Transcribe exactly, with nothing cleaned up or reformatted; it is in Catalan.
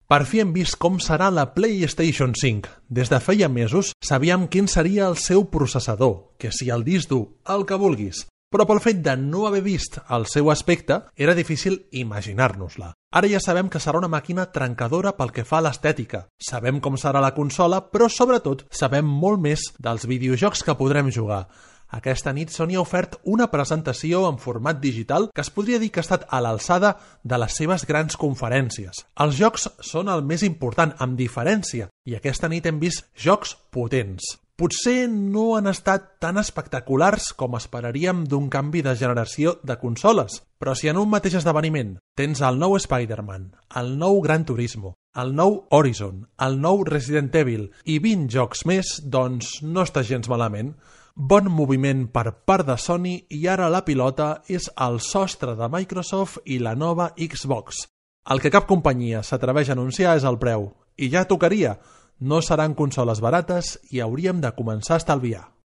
Per fi hem vist com serà la PlayStation cinc. Des de feia mesos sabíem quin seria el seu processador, que si el disc dur, el que vulguis. Però pel fet de no haver vist el seu aspecte, era difícil imaginar-nos-la. Ara ja sabem que serà una màquina trencadora pel que fa a l'estètica. Sabem com serà la consola, però sobretot sabem molt més dels videojocs que podrem jugar. Aquesta nit Sony ha ofert una presentació en format digital que es podria dir que ha estat a l'alçada de les seves grans conferències. Els jocs són el més important, amb diferència, i aquesta nit hem vist jocs potents. Potser no han estat tan espectaculars com esperaríem d'un canvi de generació de consoles, però si en un mateix esdeveniment tens el nou Spider-Man, el nou Gran Turismo, el nou Horizon, el nou Resident Evil i vint jocs més, doncs no està gens malament. Bon moviment per part de Sony i ara la pilota és el sostre de Microsoft i la nova Xbox. El que cap companyia s'atreveix a anunciar és el preu, i ja tocaria. No seran consoles barates i hauríem de començar a estalviar.